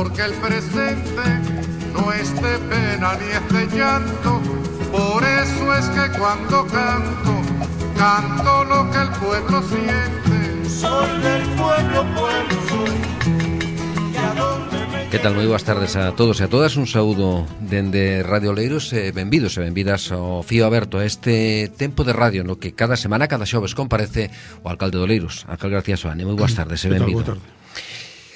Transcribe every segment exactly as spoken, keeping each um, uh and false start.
porque el presente no es de pena ni es de llanto. Por eso es que cuando canto, canto lo que el pueblo siente. Soy del pueblo, pueblo soy. Que tal? Moi boas tardes a todos e a todas. Un saúdo dende Radio Oleiros e benvidos e benvidas ao Fío Aberto, a este tempo de radio no que cada semana, cada xoves comparece o alcalde de Oleiros, alcalde García Soane. Moi boas tardes e benvido.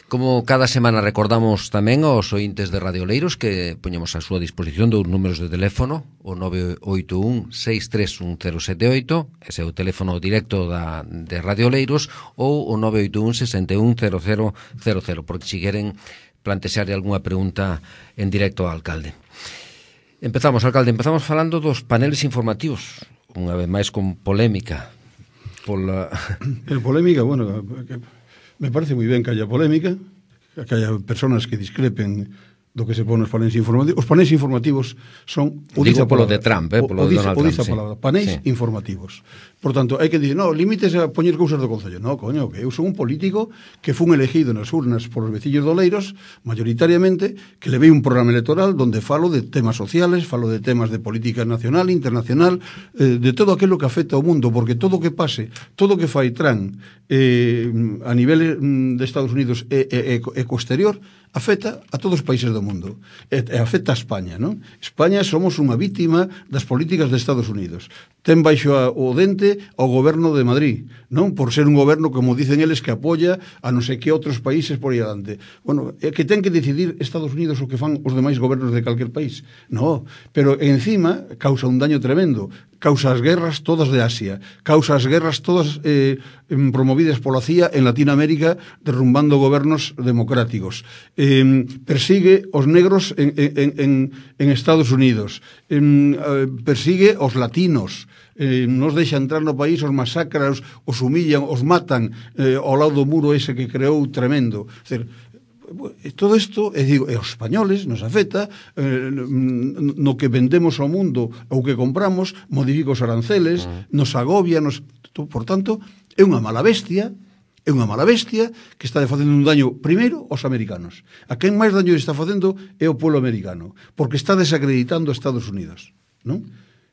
Como cada semana recordamos tamén aos ointes de Radio Oleiros que poñemos a súa disposición dous números de teléfono, o nove oito un seis tres un cero sete oito, ese é o teléfono directo da, de Radio Oleiros, ou o nove oito un seis un cero cero cero cero, porque si queren plantexarle algunha pregunta en directo ao alcalde. Empezamos, alcalde, empezamos falando dos paneles informativos, unha vez máis con polémica. Pola... El polémica, bueno, me parece moi ben que haya polémica, que haya personas que discrepen do que se pone nos paneles informativos. Os paneles informativos son... Digo polo de Trump, eh, polo de Donald Trump, sí. Palabra, paneles sí. informativos. Por tanto, hai que dicir, no, límites a poñer cousas do Concello. No, coño, que eu son un político que fun elegido nas urnas por os veciños de Oleiros, mayoritariamente, que levei un programa electoral donde falo de temas sociales, falo de temas de política nacional, internacional, eh, de todo aquilo que afecta ao mundo, porque todo o que pase, todo o que fai Trump eh, a nivel de Estados Unidos e, e, e co exterior, afecta a todos os países do mundo e, e afecta a España, non? España somos unha vítima das políticas de Estados Unidos. Ten baixo a, o dente ao goberno de Madrid, non? Por ser un goberno, como dicen eles, que apoia a non sei que outros países por aí adiante. Bueno, é que ten que decidir Estados Unidos o que fan os demais gobernos de calquer país. No, pero encima causa un daño tremendo. Causa as guerras todas de Asia, causa as guerras todas eh, promovidas pola C I A en Latinoamérica, derrumbando gobernos democráticos. Eh, persigue os negros en, en, en, en Estados Unidos, eh, persigue os latinos, eh, nos deixa entrar no país, os masacra, os, os humillan, os matan eh, ao lado do muro ese que creou tremendo. É dicir, todo isto, e digo, e os españoles nos afecta eh, no que vendemos ao mundo ou que compramos, modifica os aranceles, uh-huh. nos agobia, nos, por tanto, é unha mala bestia, é unha mala bestia que está facendo un daño primeiro aos americanos. A quen máis daño está facendo é o pueblo americano, porque está desacreditando a Estados Unidos, non?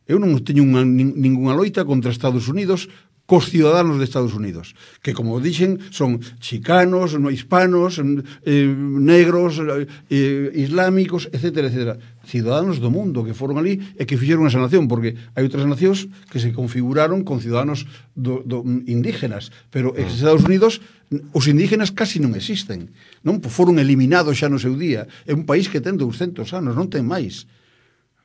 Eu non teño unha, ninguna loita contra Estados Unidos cos ciudadanos de Estados Unidos, que, como dixen, son chicanos, no hispanos, eh, negros, eh, islámicos, etcétera, etcétera. Ciudadanos do mundo que foron ali e que fixeron esa nación, porque hai outras nacións que se configuraron con ciudadanos do, do, indígenas, pero en Estados Unidos os indígenas casi non existen, non? Foron eliminados xa no seu día. É un país que ten douscentos anos, non ten máis.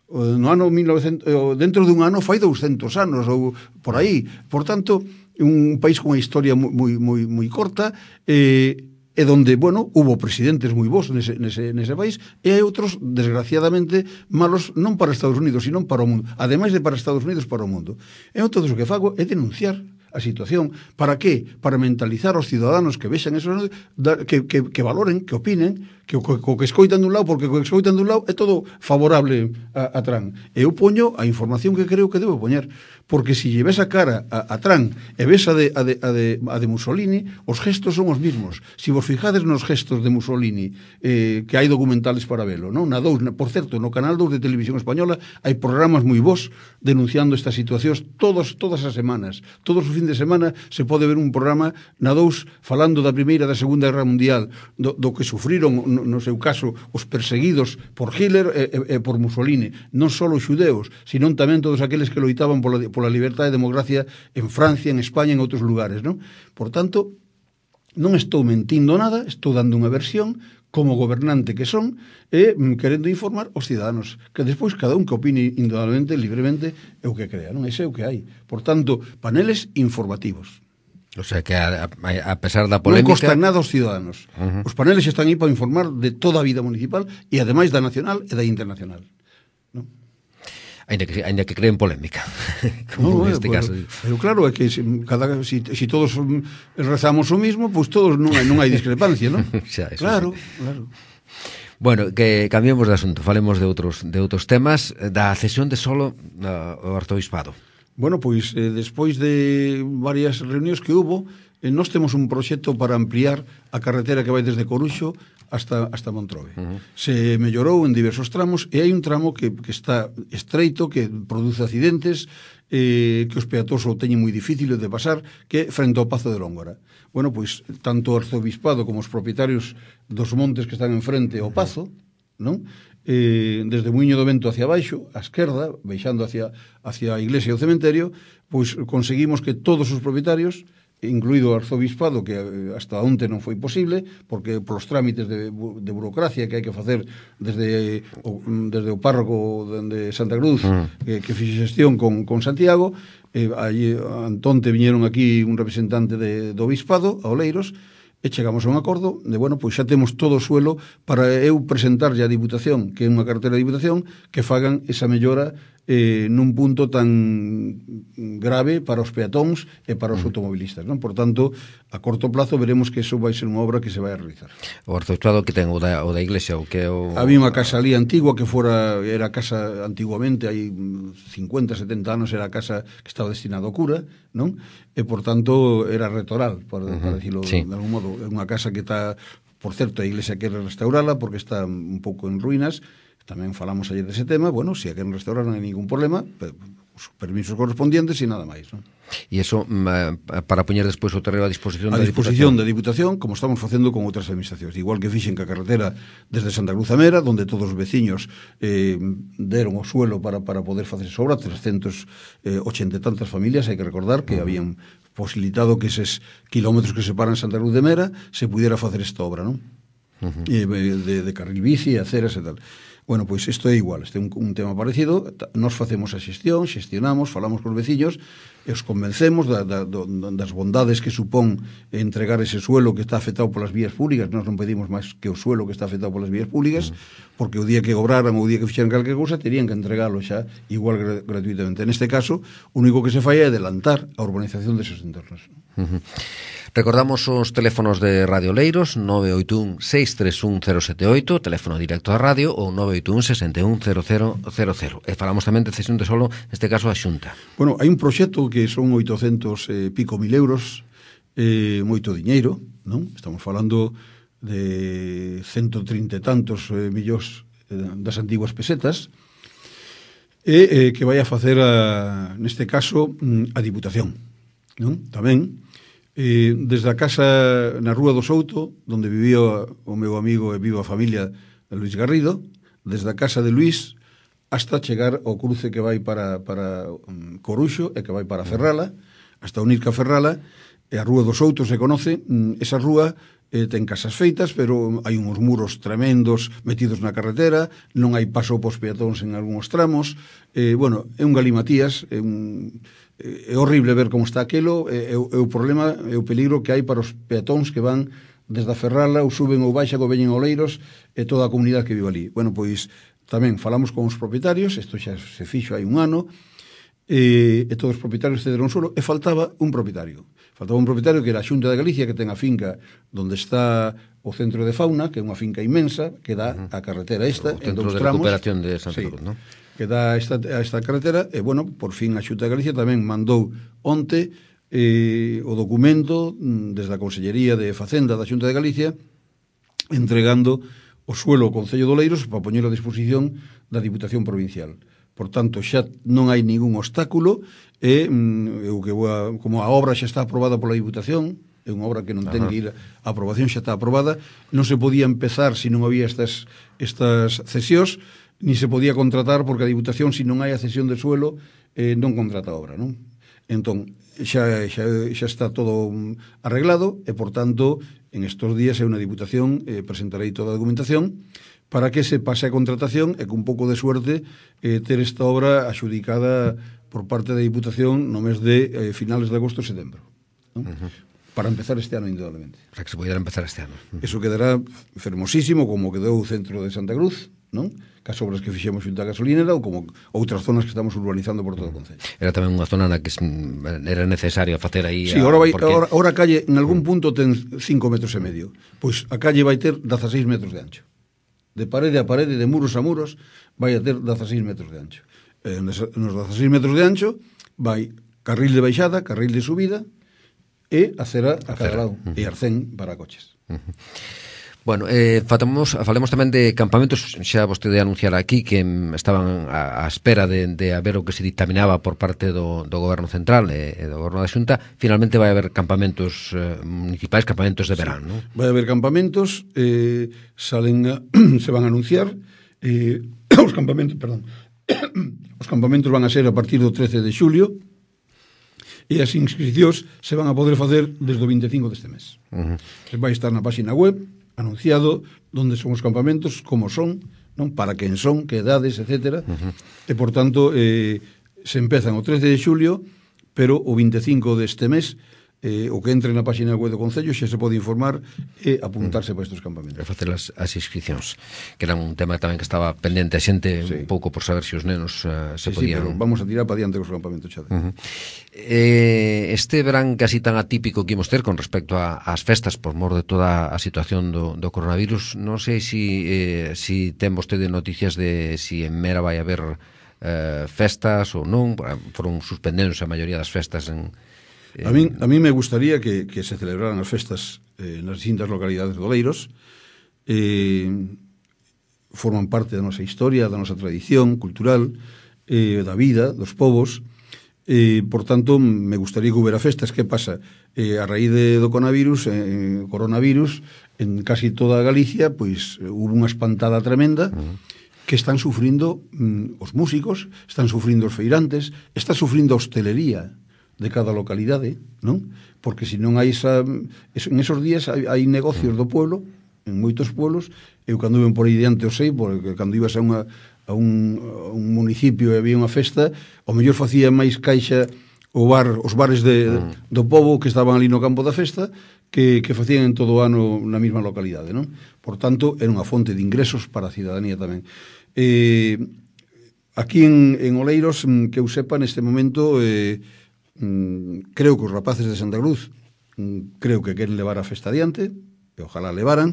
No ano mil novecentos, dentro dun ano fai douscentos anos ou por aí. Por tanto, un país con unha historia moi moi moi corta, eh, e donde, bueno, hubo presidentes moi bons nese, nese, nese país e hai outros, desgraciadamente, malos non para Estados Unidos, sino para o mundo. Ademais de para Estados Unidos, para o mundo. E eu todo o que fago é denunciar a situación. Para qué? Para mentalizar aos ciudadanos que vexan eso, que, que, que valoren, que opinen, que o que, que escoitan dun lado, porque o que escoitan dun lado é todo favorable a, a Trump. Eu poño a información que creo que debo poñer, porque se lle ves a cara a, a Trump e ves a de, a, de, a, de, a de Mussolini, os gestos son os mismos. Se vos fijades nos gestos de Mussolini, eh, que hai documentales para velo, non? Na dous, por certo, no canal dous de Televisión Española hai programas moi bons denunciando estas situacións todos, todas as semanas. Todos os fin de semana se pode ver un programa na dous falando da Primeira e da Segunda Guerra Mundial, do, do que sufriron, no, no seu caso, os perseguidos por Hitler e, e, e por Mussolini. Non só os xudeus, sino tamén todos aqueles que loitaban pola, pola libertad e democracia en Francia, en España e en outros lugares, non? Por tanto, non estou mentindo nada, estou dando unha versión como gobernante que son e querendo informar os ciudadanos, que despois cada un que opine indudablemente, libremente, é o que crea, non? Ese é o que hai. Por tanto, paneles informativos. O sea que a, a, a pesar da polémica... Non costan nada aos ciudadanos. Uh-huh. Os paneles están aí para informar de toda a vida municipal e ademais da nacional e da internacional, non? Ainda que, ainda que creen polémica, como no, neste bueno, caso. Pero claro, é que se, cada, si, si todos rezamos o mismo, pois pues todos non hai, non hai discrepancia, non? Xa, claro, sí. claro. Bueno, que cambiemos de asunto, falemos de outros de outros temas, da cesión de solo ao arzobispado. Bueno, pois eh, despois de varias reunións que hubo, eh, nós temos un proxecto para ampliar a carretera que vai desde Coruxo hasta, hasta Montrove. Uh-huh. Se mellorou en diversos tramos e hai un tramo que, que está estreito, que produce accidentes, eh, que os peatóns o teñen moi difícil de pasar, que é frente ao Pazo de Lóngora. Bueno, pois, tanto o arzobispado como os propietarios dos montes que están enfrente ao Pazo, non? Eh, desde Muiño do Vento hacia baixo, a esquerda, baixando hacia, hacia a iglesia e o cementerio, pois conseguimos que todos os propietarios, incluído o arzobispado, que hasta onte non foi posible, porque polos trámites de, de burocracia que hai que facer desde o, desde o párroco de Santa Cruz, mm. que, que fixe xestión con, con Santiago, eh, aí, antonte viñeron aquí un representante de, do obispado, a Oleiros, e chegamos a un acordo de, bueno, pois xa temos todo o suelo para eu presentarlle a Diputación, que é unha cartera de Diputación, que fagan esa mellora eh, nun punto tan grave para os peatóns e para os automobilistas, non? Por tanto, a corto plazo veremos que eso vai ser unha obra que se vai a realizar. O arzobispado que ten o da, o da iglesia, o que o... Había unha casa ali antigua que fora, era casa antiguamente, hai cincuenta, setenta anos, era a casa que estaba destinada ao cura, non? E, por tanto, era retoral, por, uh-huh. para decirlo sí. de algún modo. É unha casa que está, por certo, a iglesia quere restaurala porque está un pouco en ruínas. Tamén falamos ayer dese tema. Bueno, se a queren restaurar non hai ningún problema, os permisos correspondientes e nada máis, non? E iso para poñer despois o terreo a disposición a da disposición Diputación? da Diputación, como estamos facendo con outras administracións, igual que fixen que a carretera desde Santa Cruz a Mera, donde todos os veciños eh, deron o suelo para, para poder facer esa obra, trescentas ochenta e tantas familias, hai que recordar que uh-huh. habían posibilitado que eses kilómetros que separan Santa Cruz de Mera se pudiera facer esta obra, non? Uh-huh. Eh, de, de carril bici, aceras e tal. Bueno, pois isto é igual, este é un, un tema parecido. Nos facemos a xestión, xestionamos, falamos cos veciños e os convencemos da, da, das bondades que supón entregar ese suelo que está afectado polas vías públicas. Nós non pedimos máis que o suelo que está afectado polas vías públicas, porque o día que obraran ou o día que fixeran calquer cousa terían que entregalo xa igual gra gratuitamente. Neste caso, o único que se fai é adelantar a urbanización deses entornos. Uh-huh. Recordamos os teléfonos de Radio Oleiros, nove oito un, seis tres un, cero sete oito, teléfono directo da radio, ou nove oito un, seis un, cero cero cero cero. E falamos tamén de cesión de solo, neste caso, a Xunta. Bueno, hai un proxecto que son oitocentos e pico mil euros, eh, moito diñeiro, non? Estamos falando de ciento trinta e tantos eh, millóns eh, das antiguas pesetas, e eh, que vai a facer, a, neste caso, a Diputación, non? Tamén, Eh, desde a casa na Rúa do Souto, onde vivía o meu amigo e viva a familia de Luis Garrido, desde a casa de Luis hasta chegar ao cruce que vai para, para um, Coruxo e que vai para Ferrala, hasta unir ca Ferrala, e a Rúa do Souto se conoce. Esa rúa eh, ten casas feitas, pero hai uns muros tremendos metidos na carretera, non hai paso pos peatóns en algúns tramos. Eh, bueno, é un galimatías, é un... é horrible ver como está aquilo, é, é, é o problema, é o peligro que hai para os peatóns que van desde a Ferrala ou suben ou baixan ou veñen a Oleiros e toda a comunidade que vive ali. Bueno, pois tamén falamos con os propietarios, isto xa se fixo hai un ano, e, e todos os propietarios cederon solo, e faltaba un propietario. Faltaba un propietario que era a Xunta de Galicia, que ten a finca onde está o Centro de Fauna, que é unha finca inmensa, que dá a carretera esta, o en dous tramos. O Centro de Recuperación de Santa sí, Cruz, non? Que dá esta, esta carretera, e, bueno, por fin a Xunta de Galicia tamén mandou onte eh, o documento desde a Consellería de Facenda da Xunta de Galicia entregando o suelo ao Concello de Oleiros para poñer a disposición da Diputación Provincial. Por tanto, xa non hai ningún obstáculo e, eu que vou a, como a obra xa está aprobada pola Diputación, é unha obra que non ten que ir a aprobación, xa está aprobada, non se podía empezar se non había estas, estas cesións, ni se podía contratar porque a Diputación, se non hai a cesión de suelo, eh, non contrata a obra, non? Entón, xa, xa, xa está todo arreglado e, por tanto, en estos días é unha Diputación, eh, presentarei toda a documentación para que se pase a contratación e con un pouco de suerte eh, ter esta obra axudicada por parte da Diputación no mes de eh, finales de agosto e setembro, non? Uh-huh. Para empezar este ano, indudablemente. Para que se pudiera empezar este ano. Uh-huh. Eso quedará fermosísimo, como quedou o centro de Santa Cruz, non? Cas obras que fixemos xunto a gasolinera ou como outras zonas que estamos urbanizando por todo o concello. Era tamén unha zona na que era necesario facer aí... Sí, ahora, vai, porque... ahora, ahora a calle en algún punto ten cinco metros e medio. Pois a calle vai ter dezaseis metros de ancho. De parede a parede, de muros a muros, vai a ter dezaseis metros de ancho. Eh, nos dezaseis metros de ancho vai carril de baixada, carril de subida e acera a cada lado. Uh-huh. E arcén para coches. Uh-huh. Bueno, eh, fatamos, falemos tamén de campamentos. Xa vostede anunciara aquí que mm, estaban á, á espera de, de haber o que se dictaminaba por parte do, do Goberno Central e, e do Goberno da Xunta. Finalmente vai haber campamentos eh, municipais, campamentos de verán, sí, non? Vai haber campamentos, eh, salen a, se van a anunciar, eh, os campamentos, perdón, os campamentos van a ser a partir do trece de xulio, e as inscripcións se van a poder facer desde o vinte e cinco deste mes. Uh-huh. Vai estar na página web anunciado onde son os campamentos, como son, non, para quen son, que edades, etcétera. Uh-huh. E, por tanto, eh, se empezan o trece de xulio, pero o vinte e cinco deste mes, eh, o que entre na página web do Concello xa se pode informar e apuntarse uh-huh. para estes campamentos. E facer as, as inscripcións, que era un tema tamén que estaba pendente a xente, sí, un pouco por saber se os nenos uh, se sí, podían... Sí, pero vamos a tirar para diante os campamentos xa. Uh-huh. Eh, este verán casi tan atípico que imos ter con respecto ás festas por mor de toda a situación do, do coronavirus. Non sei si, eh, si ten vostede noticias de si en Mera vai haber eh, festas ou non. Foron suspendendo a maioría das festas en... A mí, a mí me gustaría que, que se celebraran as festas eh, nas distintas localidades de Oleiros. Eh, forman parte da nosa historia, da nosa tradición cultural, eh, da vida, dos povos. Eh, por tanto, me gustaría que hubiera festas. Que pasa? Eh, a raíz de, do coronavirus, eh, coronavirus, en casi toda Galicia, pois hubo unha espantada tremenda, uh-huh, que están sufrindo mm, os músicos, están sufrindo os feirantes, está sufrindo a hostelería de cada localidade, non? Porque se non hai esa, en esos días hai, hai negocios do pueblo, en moitos pueblos. Eu cando iban por aí diante o sei, porque cando ibas a, unha, a, un, a un municipio e había unha festa, o mellor facía máis caixa o bar, os bares de, mm. do pobo que estaban ali no campo da festa, que, que facían en todo o ano na mesma localidade, non? Por tanto, era unha fonte de ingresos para a cidadanía tamén. Eh, aquí en, en Oleiros, que eu sepa, neste momento... Eh, Mm, creo que os rapaces de Santa Cruz mm, creo que queren levar a festa adiante, e ojalá levaran.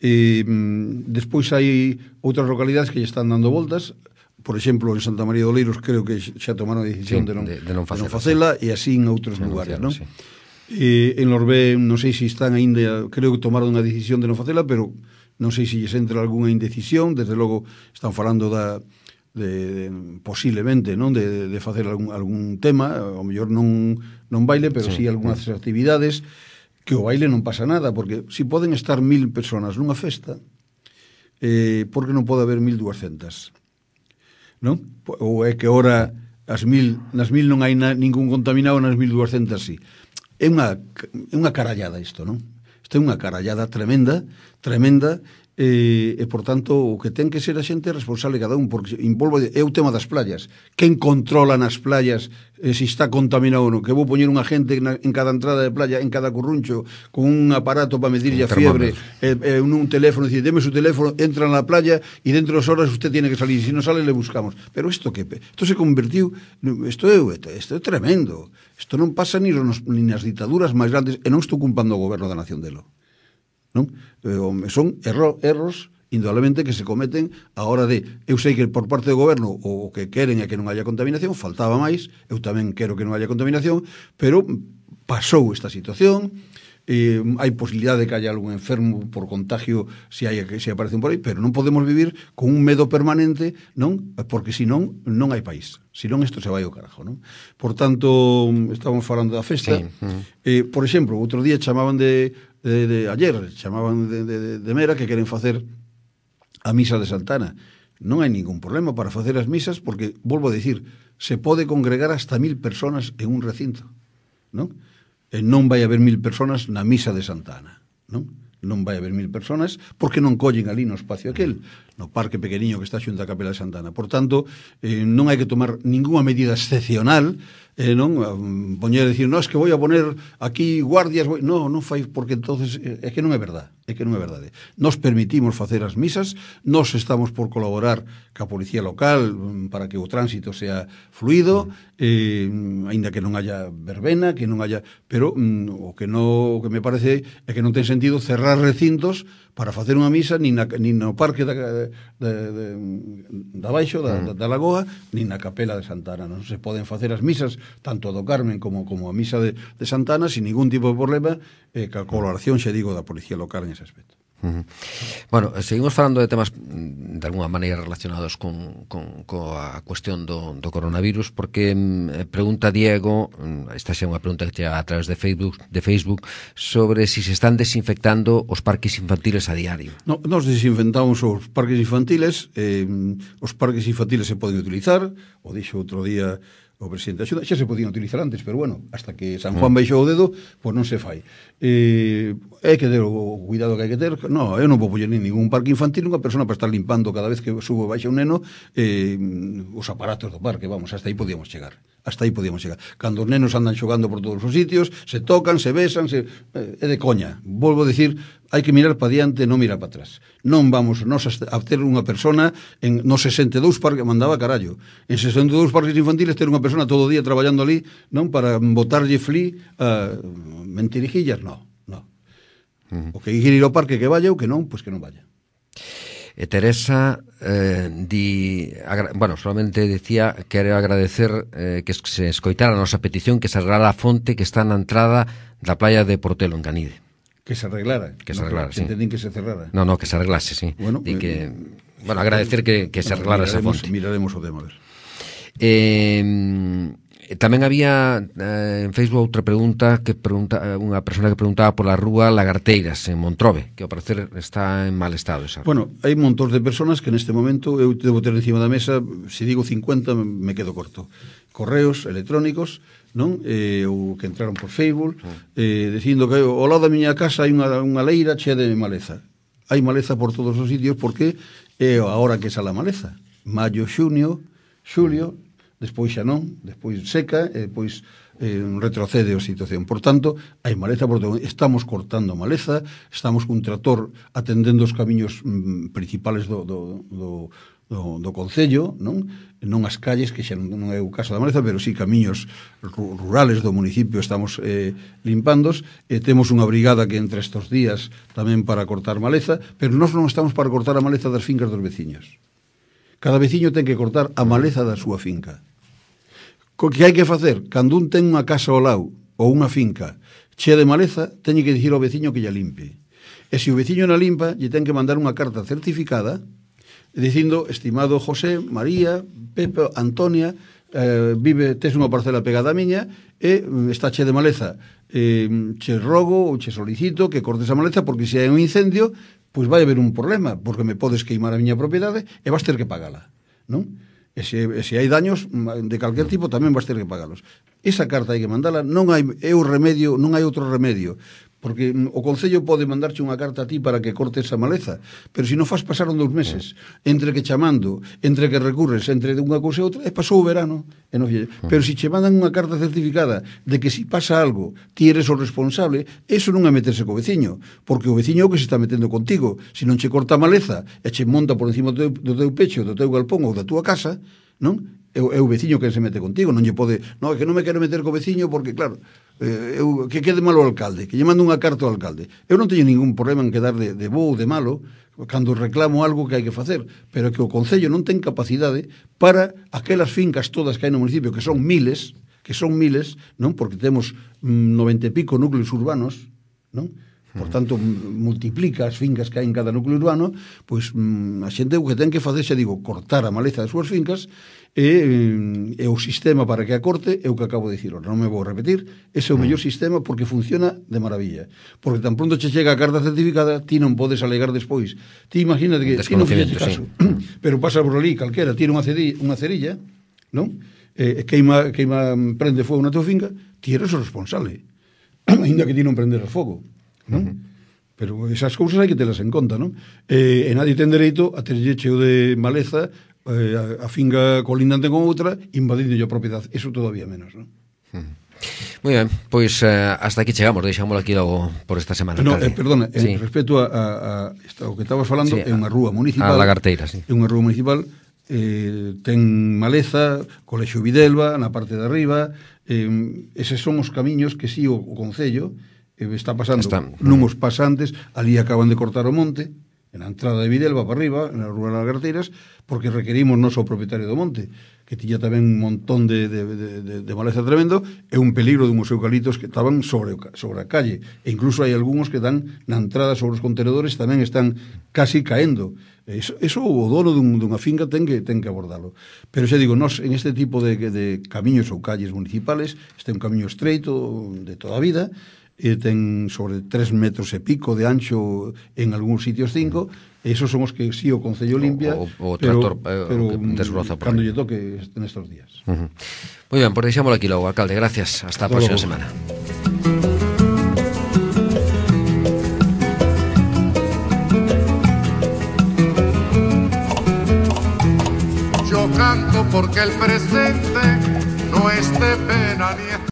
E, mm, despois hai outras localidades que lle están dando voltas. Por exemplo, en Santa María de Oleiros creo que xa tomaron a decisión, sí, de, non, de, de non facela, de non facela, sí, e así en outros lugares, non? Sí. E, en Lorbé non sei se están aínda, creo que tomaron a decisión de non facela, pero non sei se lles entra algunha indecisión. Desde logo están falando da De, de, posiblemente, non, de, de facer algún, algún tema, ao mellor non, non baile, pero sí, sí algunhas sí. actividades, que o baile non pasa nada, porque si poden estar mil personas nunha festa, eh, por que non pode haber mil duascentas? Non? Ou é que ora as mil, nas mil non hai na, ningún contaminado, nas mil duascentas sí. É unha, é unha carallada isto, non? Isto é unha carallada tremenda, tremenda, E, e, por tanto, o que ten que ser a xente responsable cada un, porque envolvo, é o tema das playas. Quen controla nas playas eh, se está contaminado ou non? Que vou poñer unha gente na, en cada entrada de playa, en cada curruncho, con un aparato para medirlle a fiebre, e, e un teléfono, dicir, deme su teléfono, entra na playa e dentro das horas usted tiene que salir, se si non sale le buscamos. Pero isto que? Isto se convertiu, isto é, isto é tremendo. Isto non pasa ni, nos, ni nas ditaduras máis grandes, e non estou culpando o goberno da nación delo. Non? Son erro, erros indudablemente que se cometen a hora de, eu sei que por parte do goberno o que queren é que non haya contaminación, faltaba máis, eu tamén quero que non haya contaminación, pero pasou esta situación, eh, hai posibilidade de que haya algún enfermo por contagio se, hai, se aparecen por aí, pero non podemos vivir con un medo permanente, non? Porque senón non hai país, senón isto se vai ao carajo, non? Por tanto, estamos falando da festa, sí. uh-huh. eh, por exemplo, outro día chamaban de De, de ayer, chamaban de, de, de Mera, que queren facer a misa de Santana. Non hai ningún problema para facer as misas, porque, volvo a dicir, se pode congregar hasta mil personas en un recinto, non? E non vai haber mil personas na misa de Santana, non? Non vai haber mil personas, porque non collen ali no espacio aquel, no parque pequeniño que está xunto a Capela de Santana. Por tanto, eh, non hai que tomar ninguna medida excepcional, eh, non poñer a decir, no, es que voy a poner aquí guardias, voy... no, non fai, porque entonces é que non é verdade, é que non é verdade. Nos permitimos facer as misas, nos estamos por colaborar ca policía local para que o tránsito sea fluido, eh, aínda que non haya verbena, que non haya, pero mm, o que no, o que me parece é que non ten sentido cerrar recintos para facer unha misa nin, na, nin no parque da, de, de, da baixo, da, da, da Lagoa, nin na Capela de Santana. Non se poden facer as misas, tanto a do Carmen como, como a misa de, de Santana, sin ningún tipo de problema, eh, ca colaboración, xa digo, da policía local en ese aspecto. Uh -huh. Bueno, seguimos falando de temas de alguna maneira relacionados con, con, coa cuestión do, do coronavirus, porque eh, pregunta Diego, esta xa é unha pregunta que chega a través de Facebook, de Facebook sobre si se están desinfectando os parques infantiles a diario. No, nos desinfectamos os parques infantiles, eh, os parques infantiles se poden utilizar, o dixo outro día o presidente da Xunta, xa se podían utilizar antes, pero bueno, hasta que San Juan baixou o dedo, pois non se fai. Eh, hai que ter o cuidado que hai que ter. No, eu non vou poñer nin ningún parque infantil unha persona para estar limpando cada vez que subo baixa un neno eh, os aparatos do parque, vamos, hasta aí podíamos chegar. Hasta aí podíamos chegar. Cando os nenos andan xogando por todos os sitios, se tocan, se besan, se, eh, é de coña. Volvo a dicir, hai que mirar para diante, non mirar para atrás. Non vamos nos a ter unha persona en nos sesenta e dous parques, mandaba carallo. En sesenta e dous parques infantiles ter unha persona todo o día traballando ali, non para botarlle flí a uh, mentirijillas, non, non. Uh -huh. O que quere ir ao parque que vaya, o que non, pois que non vaya. E Teresa eh, di, agra, bueno, solamente decía que quero agradecer eh, que se escoitara a nosa petición que se arreglara a fonte que está na entrada da playa de Portelo en Canide. Que se arreglara. Que se no, arreglara, sí. Entendín que se cerrara. No, no, que se arreglase, sí. Bueno, di que, eh, bueno, agradecer que, que se arreglara esa fonte. Miraremos o tema, a ver. Eh, tamén había eh, en Facebook outra pregunta que pregunta unha persona que preguntaba pola rúa Lagarteiras en Montrobe, que ao parecer está en mal estado esa. Bueno, hai montóns de personas que neste momento eu debo ter encima da mesa, se digo cincuenta me quedo corto. Correos electrónicos, non? Eh, ou que entraron por Facebook, eh, dicindo que ao lado da miña casa hai unha, unha leira chea de maleza. Hai maleza por todos os sitios porque é a hora que sale a maleza. Maio, xunio, xulio, despois xa non, despois seca, e despois eh, retrocede a situación. Por tanto, hai maleza por todo. Estamos cortando maleza, estamos cun trator atendendo os camiños mm, principales do, do, do, do, do concello, non? Non as calles, que xa non, non é o caso da maleza, pero sí camiños rurales do municipio estamos eh, limpandos, e temos unha brigada que entra estes días tamén para cortar maleza, pero nós non estamos para cortar a maleza das fincas dos veciños. Cada veciño ten que cortar a maleza da súa finca. Co que hai que facer? Cando un ten unha casa ao lado ou unha finca chea de maleza, teñe que dicir ao veciño que lla limpe. E se o veciño na limpa, lle ten que mandar unha carta certificada dicindo, estimado José, María, Pepe, Antonia, eh, vive, tes unha parcela pegada a miña e está chea de maleza. Eh, che rogo ou che solicito que cortes a maleza porque se hai un incendio, pois vai haber un problema, porque me podes queimar a miña propiedade e vas ter que pagala, non? E se, e se hai daños de calquer tipo tamén vas ter que pagalos. Esa carta hai que mandala, non hai é o remedio, non hai outro remedio, porque o Concello pode mandarche unha carta a ti para que cortes esa maleza, pero se non faz pasaron dous meses, entre que chamando, entre que recurres, entre unha cousa e outra, e pasou o verano, e non fille. Pero se che mandan unha carta certificada de que se pasa algo, ti eres o responsable, eso non é meterse co veciño, porque o veciño é o que se está metendo contigo. Se non che corta a maleza e che monta por encima do teu, do teu pecho, do teu galpón ou da túa casa, non? É o, é o veciño que se mete contigo, non lle pode, non, é que non me quero meter co veciño porque claro, eh, eu, que quede malo o alcalde, que lle mando unha carta ao alcalde. Eu non teño ningún problema en quedar de, de bo ou de malo cando reclamo algo que hai que facer, pero que o Concello non ten capacidade para aquelas fincas todas que hai no municipio, que son miles, que son miles, non? Porque temos mm, noventa e pico núcleos urbanos, non? Por tanto, multiplica as fincas que hai en cada núcleo urbano, pois mm, a xente o que ten que facer, xa digo, cortar a maleza das súas fincas e, e o sistema para que a corte é o que acabo de dicir. Non me vou repetir, ese é o mellor sistema porque funciona de maravilla. Porque tan pronto che chega a carta certificada, ti non podes alegar despois. Ti imagínate que ti non fixeste caso, sí. Pero pasa por ali calquera, tira unha, cedilla, unha cerilla, non? E queima, queima, prende fogo na tua finca, ti eres o responsable. Ainda que ti non prendes o fogo. Non? Uh -huh. Pero esas cousas hai que telas en conta, non? Eh, e nadie ten dereito a terlle cheo de maleza eh, a, a finga colindante con outra invadindo a propiedade, eso todavía menos, non? Uh -huh. Moi ben, pois eh, hasta aquí chegamos, deixámoslo aquí logo por esta semana. No, eh, perdona, sí. En respecto a, a, a o que estabas falando, sí, é unha rúa municipal. A Lagarteira, sí. É unha rúa municipal, eh, ten maleza, Colexio Videlva na parte de arriba, eh, eses son os camiños que si sí, o, o Concello está pasando Está. Nuns pasantes, ali acaban de cortar o monte, en a entrada de Videlva para arriba, na Rúa das Lagarteiras, porque requerimos non só o propietario do monte, que tiña tamén un montón de, de, de, de, de maleza tremendo, e un peligro de uns eucaliptos que estaban sobre, sobre a calle, e incluso hai algúns que dan na entrada sobre os contenedores, tamén están casi caendo. Eso, eso o dono dun, dunha finca ten que, ten que abordalo. Pero xa digo, nós en este tipo de, de camiños ou calles municipales, este é un camiño estreito de toda a vida, e ten sobre tres metros e pico de ancho, en algúns sitios cinco, e esos son os que sí o Concello limpia, o, o, o pero, tractor, eh, pero desbroza por cando aí. lle toque nestes días. Uh-huh. Moi ben, por deixámoslo aquí logo, alcalde, gracias, hasta a próxima semana. Yo canto porque el presente no es de pena ni es